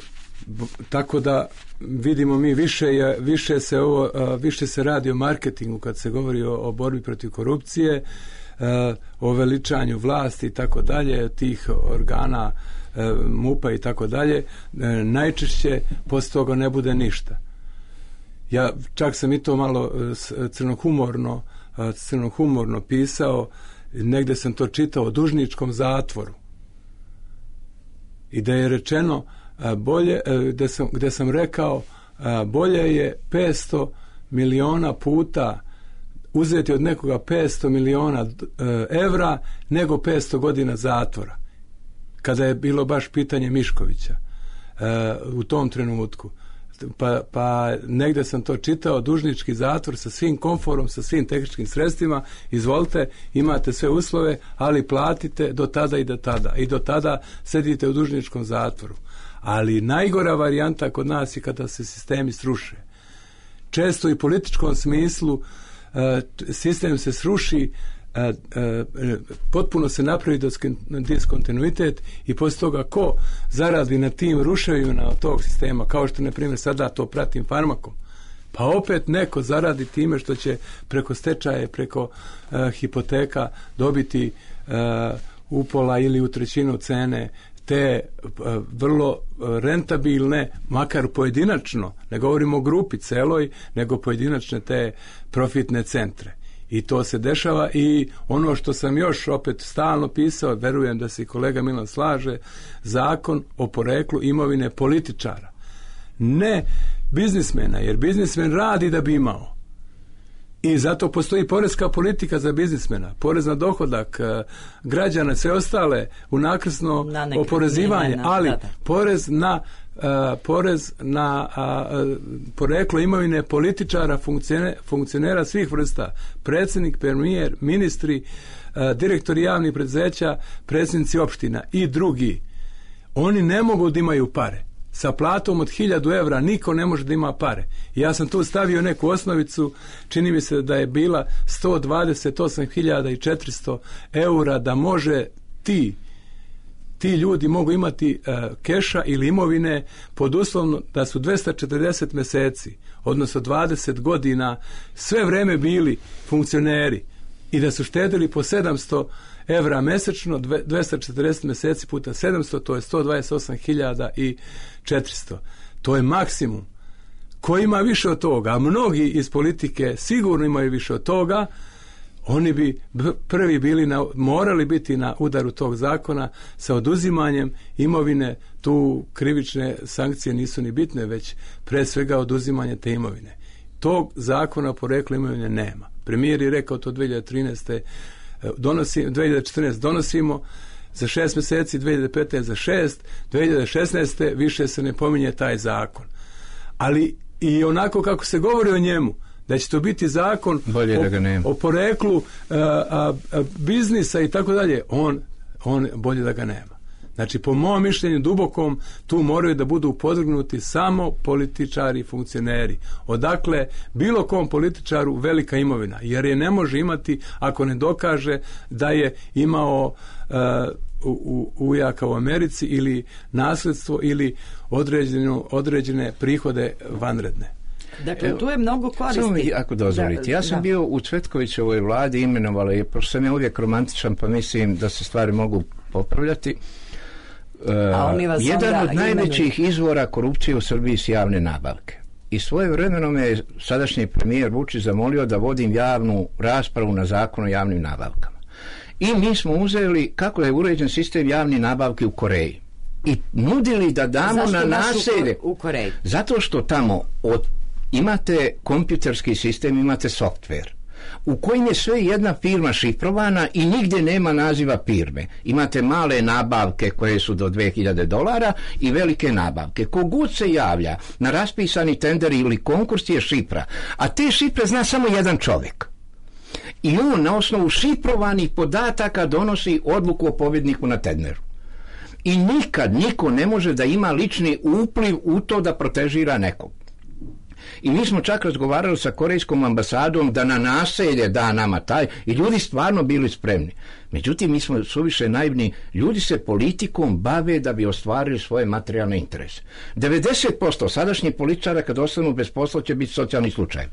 b, tako da vidimo mi više, je, više, se ovo, e, više se radi o marketingu kad se govori o, o borbi protiv korupcije, o veličanju vlasti i tako dalje, tih organa MUP-a i tako dalje. Najčešće posle toga ne bude ništa. Ja čak sam i to malo crnohumorno crnohumorno pisao, negde sam to čitao o dužničkom zatvoru. I da je rečeno bolje, gde sam, gde sam rekao bolje je petsto miliona puta uzeti od nekoga petsto miliona evra nego petsto godina zatvora, kada je bilo baš pitanje Miškovića u tom trenutku. Pa, pa negde sam to čitao, dužnički zatvor sa svim komforom, sa svim tehničkim sredstvima, izvolite, imate sve uslove, ali platite do tada i do tada. I do tada sedite u dužničkom zatvoru. Ali najgora varijanta kod nas je kada se sistemi sruše. Često i u političkom smislu sistem se sruši, potpuno se napravi diskontinuitet, i poslije toga ko zaradi na tim ruševima tog sistema, kao što na primjer sada to pratim Farmakom, pa opet neko zaradi time što će preko stečaje, preko uh, hipoteka dobiti uh, upola ili u trećinu cene te uh, vrlo rentabilne, makar pojedinačno, ne govorimo o grupi celoj, nego pojedinačne te profitne centre. I to se dešava, i ono što sam još opet stalno pisao, verujem da se i kolega Milan slaže, zakon o poreklu imovine političara. Ne biznismena, jer biznismen radi da bi imao. I zato postoji poreska politika za biznismena, porez na dohodak građana, sve ostale unakrsno oporezivanje, ali porez na Uh, porez na uh, poreklo imovine političara, funkcionera, funkcionera svih vrsta, predsjednik, premijer, ministri, uh, direktori javnih preduzeća, predsjednici opština i drugi. Oni ne mogu da imaju pare. Sa platom od hiljadu evra niko ne može da ima pare. I ja sam tu stavio neku osnovicu, čini mi se da je bila sto dvadeset osam hiljada četiristo eura da može ti ti ljudi mogu imati uh, keša ili imovine pod uslovno da su dvesta četrdeset meseci, odnosno dvadeset godina, sve vreme bili funkcioneri i da su štedili po sedamsto evra mesečno, dvesta četrdeset meseci puta sedamsto, to je sto dvadeset osam hiljada četiristo. To je maksimum. Ko ima više od toga, a mnogi iz politike sigurno imaju više od toga, oni bi prvi bili na, morali biti na udaru tog zakona sa oduzimanjem imovine. Tu krivične sankcije nisu ni bitne, već pre svega oduzimanje te imovine. Tog zakona o poreklu imovine nema. Premijer je rekao to dve hiljade trinaeste donosi, dve hiljade četrnaeste donosimo za šest meseci, dve hiljade petnaeste za šest, dve hiljade šesnaeste više se ne pominje taj zakon. Ali i onako kako se govori o njemu, da će to biti zakon o, o poreklu a, a, a, biznisa i tako dalje, on, on bolje da ga nema. Znači, po mom mišljenju dubokom, tu moraju da budu podvrgnuti samo političari i funkcioneri. Odakle bilo kom političaru velika imovina, jer je ne može imati ako ne dokaže da je imao uh, u, u, ujaka u Americi ili nasledstvo ili određeno, određene prihode vanredne. Dakle, tu je mnogo koristi. Samo mi, ako dozvolite, ja sam da. bio u Cvetkovićevoj vladi, imenovala je, pošto sam ja uvijek romantičan, pa mislim da se stvari mogu popravljati. Uh, jedan od najvećih imenuji. izvora korupcije u Srbiji su javne nabavke. I svoje vremeno me je sadašnji premijer Vučić zamolio da vodim javnu raspravu na zakon o javnim nabavkama. I mi smo uzeli kako je uređen sistem javnih nabavki u Koreji. I nudili da damo Zašto na naselje. U Koreji? Zato što tamo od, imate kompjuterski sistem, imate software u kojim je sve jedna firma šifrovana i nigdje nema naziva firme. Imate male nabavke koje su do dve hiljade dolara i velike nabavke. Kogod se javlja na raspisani tender ili konkurs je šifra, a te šifre zna samo jedan čovjek. I on na osnovu šifrovanih podataka donosi odluku o pobjedniku na tenderu. I nikad niko ne može da ima lični upliv u to da protežira nekog. I mi smo čak razgovarali sa korejskom ambasadom da na naselje da nama taj, i ljudi stvarno bili spremni. Međutim, mi smo suviše naivni, ljudi se politikom bave da bi ostvarili svoje materijalne interese. devedeset posto sadašnjih političara kad ostanu bez posla će biti socijalni slučaj.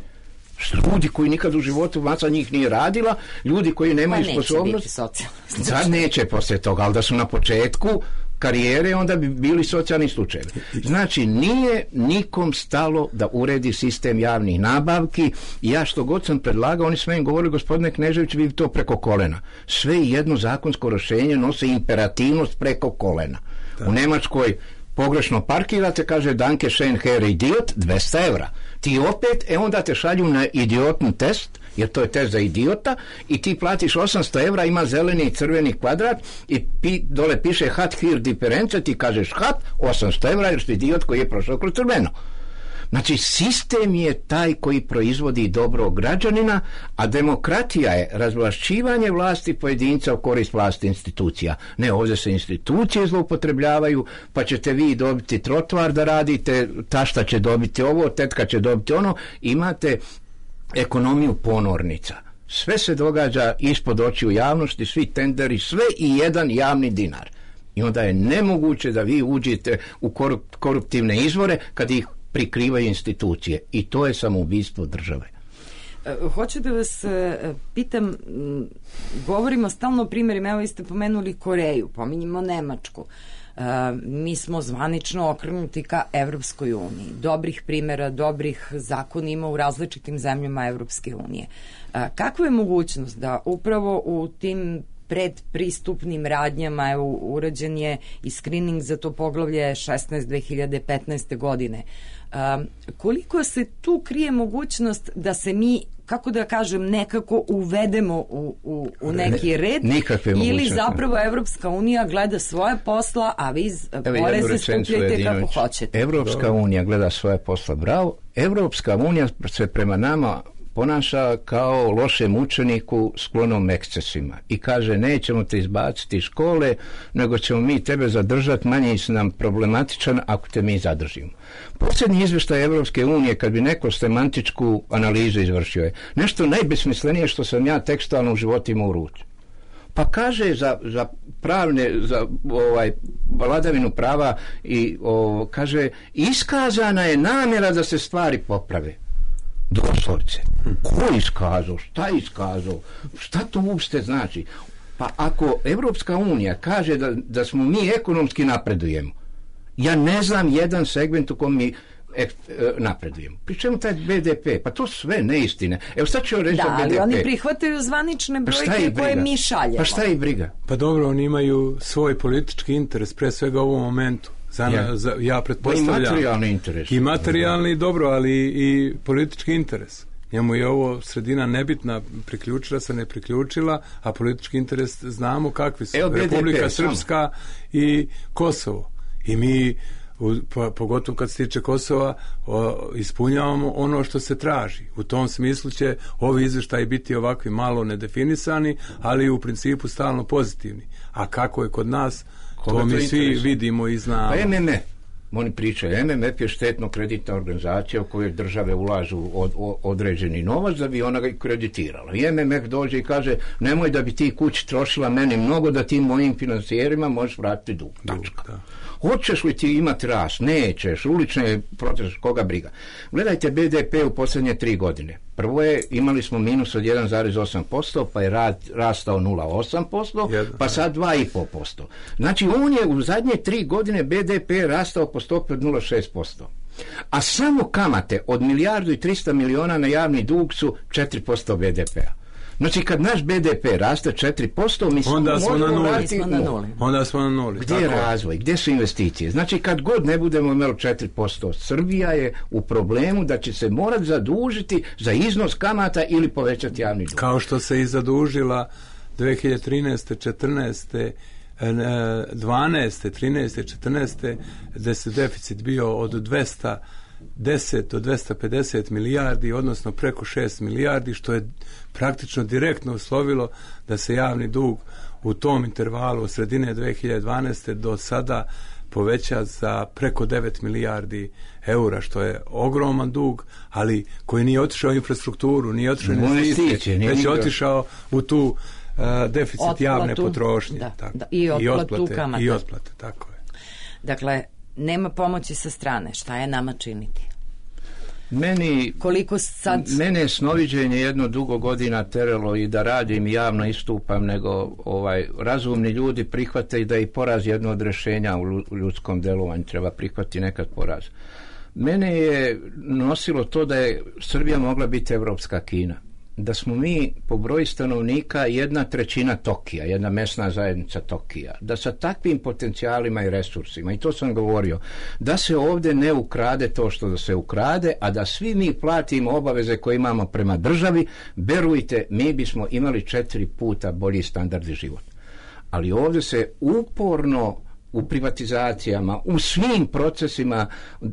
Ljudi koji nikad u životu masa njih nije radila, ljudi koji nemaju pa sposobnost. Sad neće poslije toga, ali da su na početku karijere, onda bi bili socijalni slučajevi. Znači, nije nikom stalo da uredi sistem javnih nabavki. Ja što god sam predlagao, oni sve im govorili, gospodine Knežević, vi to preko kolena. Sve jedno zakonsko rješenje nose imperativnost preko kolena. Da. U Nemačkoj pogrešno parkirate, kaže danke schön Herr Idiot, dvesta evra. Ti opet, e onda te šalju na idiotni test, jer to je test za idiota, i ti platiš osamsto evra, ima zeleni i crveni kvadrat i pi, dole piše hat hier difference, ti kažeš hat, osamsto evra, jer si idiot koji je prošao kroz crveno. Znači, sistem je taj koji proizvodi dobrog građanina, a demokratija je razvlašćivanje vlasti pojedinca u korist vlasti institucija. Ne, ovdje se institucije zloupotrebljavaju, pa ćete vi dobiti trotoar da radite, tašta će dobiti ovo, tetka će dobiti ono, imate ekonomiju ponornica. Sve se događa ispod očiju javnosti, svi tenderi, sve i jedan javni dinar. I onda je nemoguće da vi uđete u koruptivne izvore kad ih prikrivaju institucije. I to je samoubistvo države. Hoću da vas pitam, govorimo stalno o primjerima, evo vi ste pomenuli Koreju, pominjimo Nemačku. Mi smo zvanično okrenuti ka Evropskoj uniji. Dobrih primjera, dobrih zakona ima u različitim zemljama Evropske unije. Kakva je mogućnost da upravo u tim predpristupnim radnjama, evo, urađen je i screening za to poglavlje šesnaest dve hiljade petnaeste godine. Um, koliko se tu krije mogućnost da se mi, kako da kažem, nekako uvedemo u, u, u neki red, ili zapravo Evropska unija gleda svoje posla, a vi poreze skupljajte kako hoćete? Evropska unija gleda svoje posla, bravo. Evropska unija se prema nama ponaša kao lošem učeniku sklonom ekscesima i kaže nećemo te izbaciti iz škole, nego ćemo mi tebe zadržati, manje si nam problematičan ako te mi zadržimo. Posljednji izvještaj Evropske unije, kad bi neko semantičku analizu izvršio, je nešto najbesmislenije što sam ja tekstualno u životu imao u ruci. Pa kaže za, za pravne, za ovaj, vladavinu prava i o, kaže iskazana je namjera da se stvari poprave. Doslovce. Ko iskazao? Šta iskazao? Šta to uopšte znači? Pa ako Evropska unija kaže da, da smo mi ekonomski napredujemo, ja ne znam jedan segment u kom mi ek, napredujemo. Pri čemu taj B D P? Pa to sve neistine. Evo sad ću reći da, B D P. ali oni prihvataju zvanične brojke pa koje mi šaljemo. Pa šta je briga? Pa dobro, oni imaju svoj politički interes, pre svega u ovom momentu. Za, ja. za, ja pretpostavljam. I materijalni interes. I materijalni, dobro, ali i politički interes. Njemu je ovo sredina nebitna, priključila se, ne priključila, a politički interes znamo kakvi su. Evo, Republika B D P, Srpska samo. I Kosovo. I mi, u, po, pogotovo kad se tiče Kosova, o, ispunjavamo ono što se traži. U tom smislu će ovi izvještaji biti ovakvi malo nedefinisani, ali u principu stalno pozitivni. A kako je kod nas, koga to mi svi interesuje? Vidimo i znamo. Pa M M F, oni pričaju, M M F je štetno-kreditna organizacija u kojoj države ulažu od, od, određeni novac da bi ona ga kreditirala. I M M F dođe i kaže, nemoj da bi ti kući trošila meni mnogo, da ti mojim financijerima možeš vratiti dug. Tačka. Hoćeš li ti imati rast? Nećeš. Ulične proteste, koga briga. Gledajte B D P u posljednje tri godine. Prvo je, imali smo minus od jedan zarez osam posto, pa je rad, rastao nula zarez osam posto, pa sad dva zarez pet posto. Znači, on je u zadnje tri godine B D P rastao po stopi od nula zarez šest posto. A samo kamate od milijardu i trista miliona na javni dug su četiri posto B D P-a. Znači, kad naš B D P raste četiri posto, mi onda smo na nuli. Na nuli. Onda smo na nuli. Gdje je razvoj? Gdje su investicije? Znači, kad god ne budemo imali četiri posto, Srbija je u problemu da će se morati zadužiti za iznos kamata ili povećati javni dug. Kao što se i zadužila dve hiljade trinaeste, četrnaeste, dvanaeste, trinaeste, četrnaeste, gde se deficit bio od dvesta deset do dvesta pedeset milijardi, odnosno preko šest milijardi, što je praktično direktno uslovilo da se javni dug u tom intervalu od sredine dve hiljade dvanaeste do sada poveća za preko devet milijardi eura, što je ogroman dug, ali koji nije otišao u infrastrukturu, nije otišao u investicije, već je otišao u tu uh, deficit otplatu, javne potrošnje. Da, tako, da, i, i otplate kamata. I otplate, tako je. Dakle, nema pomoći sa strane. Šta je nama činiti? Meni, koliko sad... mene je snoviđenje jedno dugo godina teralo i da radim i javno istupam, nego ovaj, razumni ljudi prihvate i da i poraz jedno od rješenja u ljudskom delovanju, treba prihvati nekad poraz. Mene je nosilo to da je Srbija mogla biti evropska Kina. Da smo mi po broju stanovnika jedna trećina Tokija, jedna mesna zajednica Tokija, da sa takvim potencijalima i resursima, i to sam govorio, da se ovdje ne ukrade to što da se ukrade, a da svi mi platimo obaveze koje imamo prema državi, verujte, mi bismo imali četiri puta bolji standard života. Ali ovdje se uporno u privatizacijama, u svim procesima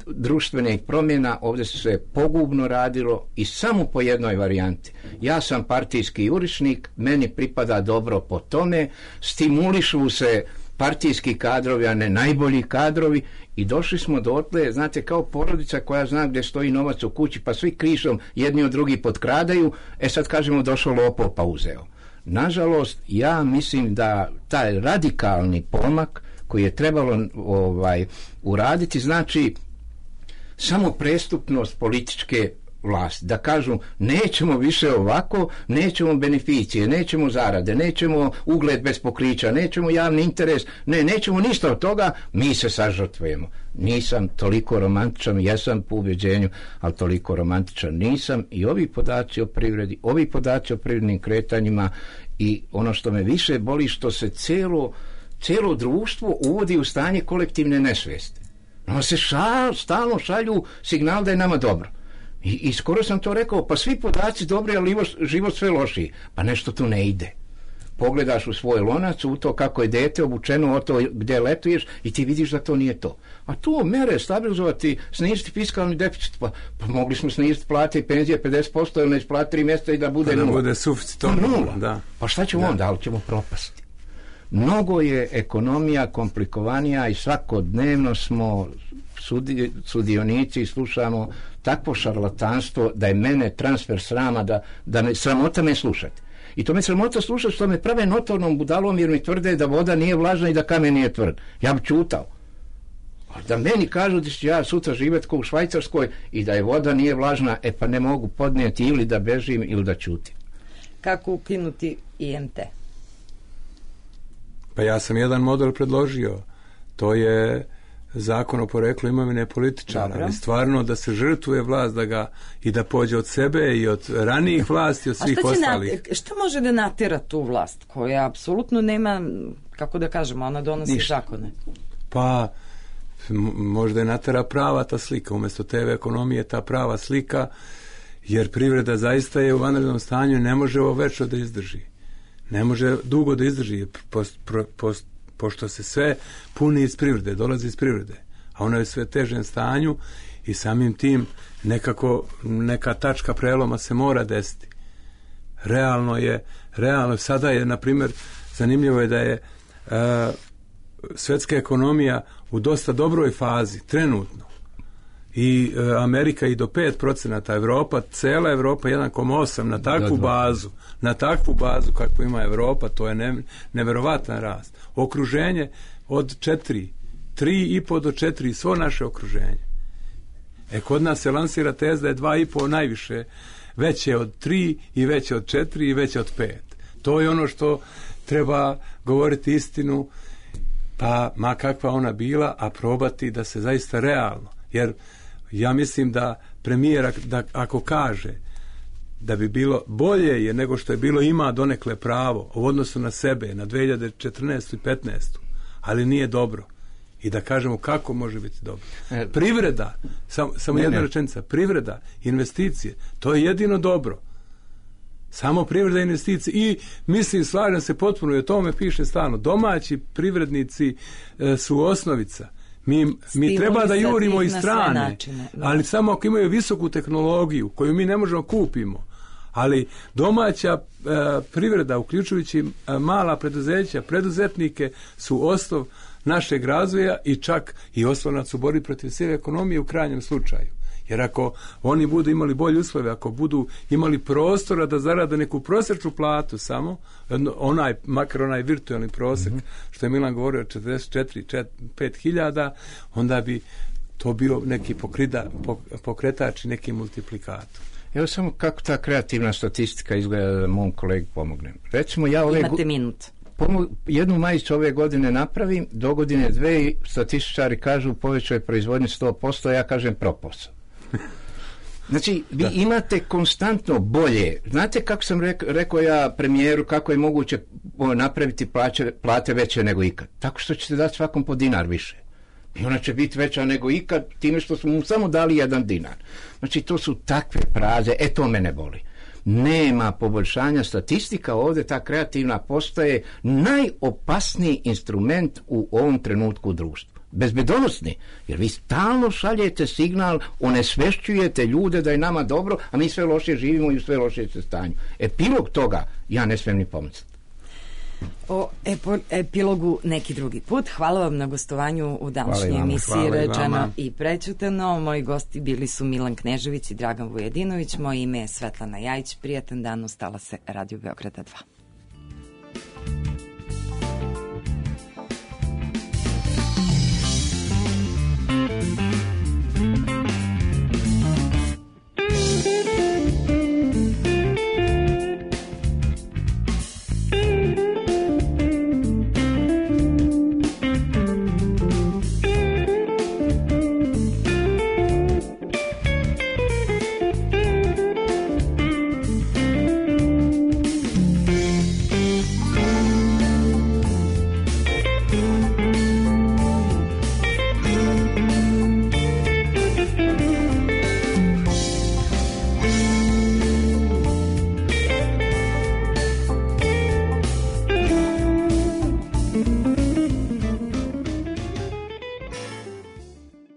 društvenih promjena, ovdje se pogubno radilo i samo po jednoj varijanti. Ja sam partijski jurišnik, meni pripada dobro po tome, stimulišu se partijski kadrovi, a ne najbolji kadrovi, i došli smo dotle, znate, kao porodica koja zna gdje stoji novac u kući, pa svi krišom jedni od drugi potkradaju, e sad kažemo došao lopov pa uzeo. Nažalost, ja mislim da taj radikalni pomak koji je trebalo ovaj, uraditi, znači samo prestupnost političke vlasti, da kažu nećemo više ovako, nećemo beneficije, nećemo zarade, nećemo ugled bez pokrića, nećemo javni interes, ne, nećemo ništa od toga, mi se sažrtvujemo. Nisam toliko romantičan, jesam po ubjeđenju, ali toliko romantičan nisam, i ovi podaci o privredi, ovi podaci o privrednim kretanjima i ono što me više boli, što se cijelo cijelo društvo uvodi u stanje kolektivne nesvijesti. No se šal, stalno šalju signal da je nama dobro. I, I skoro sam to rekao, pa svi podaci dobri, ali život sve lošiji. Pa nešto tu ne ide. pogledaš u svoj lonac, u to kako je dete obučeno, o to gdje letuješ i ti vidiš da to nije to. A tu mere stabilizovati, sniziti fiskalni deficit, pa, pa mogli smo sniziti plate i penzije pedeset posto ili ne isplati tri mjeseca i da bude pa da nula. bude suficit. Pa nula. Da. Pa šta ćemo da. onda, ali ćemo propasti. Mnogo je ekonomija komplikovanija i svakodnevno smo sudi, sudionici i slušamo takvo šarlatanstvo da je mene transfer srama, da, da me, sramota me slušati. I to me sramota slušati što me prave notornom budalom jer mi tvrde da voda nije vlažna i da kamen nije tvrd. Ja bi čutao. Da meni kažu da ću ja sutra živjeti kao u Švajcarskoj i da je voda nije vlažna, e pa ne mogu podnijeti ili da bežim ili da čutim. Kako ukinuti I M T? Pa ja sam jedan model predložio. To je zakon o poreklu imovine političara. Dobro. Ali stvarno da se žrtvuje vlast da ga, i da pođe od sebe i od ranijih vlasti, od svih A šta će ostalih. Nat, šta može da natjera tu vlast koja apsolutno nema, kako da kažemo, ona donosi Ništa. zakone? Pa m- možda je natjera prava ta slika, umjesto te ekonomije ta prava slika, jer privreda zaista je u vanrednom stanju i ne može ovo večno da izdrži. Ne može dugo da izdrži, post, pro, post, pošto se sve puni iz privrede, dolazi iz privrede, a ono je sve težem stanju i samim tim nekako neka tačka preloma se mora desiti. Realno je, realno sada je, na primjer, zanimljivo je da je uh, svjetska ekonomija u dosta dobroj fazi, trenutno. I uh, Amerika i do pet procenata, Evropa, cela Evropa jedan zarez osam na takvu bazu, na takvu bazu kakvu ima Evropa, to je ne, neverovatan rast. Okruženje od četiri, tri i po do četiri, svo naše okruženje. E, kod nas se lansira teza da je dva i po najviše, veće od tri i veće od četiri i veće od pet. To je ono što treba govoriti istinu, pa ma kakva ona bila, a probati da se zaista realno, jer ja mislim da premijer da ako kaže da bi bilo bolje je nego što je bilo, ima donekle pravo u odnosu na sebe na dve hiljade četrnaestu i petnaestu, ali nije dobro. I da kažemo kako može biti dobro. Privreda, sam, samo ne, jedna ne. rečenica, privreda, investicije, to je jedino dobro. Samo privreda i investicije. I mislim, slažem se potpuno i o tome piše stalno. Domaći privrednici e, su osnovica. Mi, mi treba da jurimo iz strane, načine, ali samo ako imaju visoku tehnologiju koju mi ne možemo kupimo. Ali domaća e, privreda, uključujući e, mala preduzeća, preduzetnike, su osnov našeg razvoja i čak i oslonac u borbi protiv sive ekonomije u krajnjem slučaju. Jer ako oni budu imali bolje uslove, ako budu imali prostora da zarade neku prosječnu platu samo, onaj, makar onaj virtualni prosjek, mm-hmm. što je Milan govorio, četrdeset četiri do pet hiljada, onda bi to bio neki pokrida, pokretač i neki multiplikator. Evo samo kako ta kreativna statistika izgleda da mom kolegi pomognem. Recimo ja ove Imate minut. Pomo- jednu majicu ove godine napravim, do godine dve statističari kažu povećao je proizvodnje sto posto, ja kažem propos. Znači, vi da. imate konstantno bolje. Znate kako sam rek- rekao ja premijeru, kako je moguće napraviti plaće, plate veće nego ikad? Tako što ćete dati svakom po dinar više. I ona će biti veća nego ikad, time što smo mu samo dali jedan dinar. Znači, to su takve fraze, e to mene boli. Nema poboljšanja statistika, ovdje ta kreativna postaje najopasniji instrument u ovom trenutku u društvu. Bezbedonosni, jer vi stalno šaljete signal, onesvešćujete ljude da je nama dobro, a mi sve loše živimo i u sve loše stanju. Epilog toga ja ne smijem ni pomisliti. O epo, epilogu neki drugi put. Hvala vam na gostovanju u današnjoj emisiji Rečeno i prećutano. Moji gosti bili su Milan Knežević i Dragan Vujedinović. Moje ime je Svetlana Jajić. Prijatan dan, ostala se Radio Beograda dva.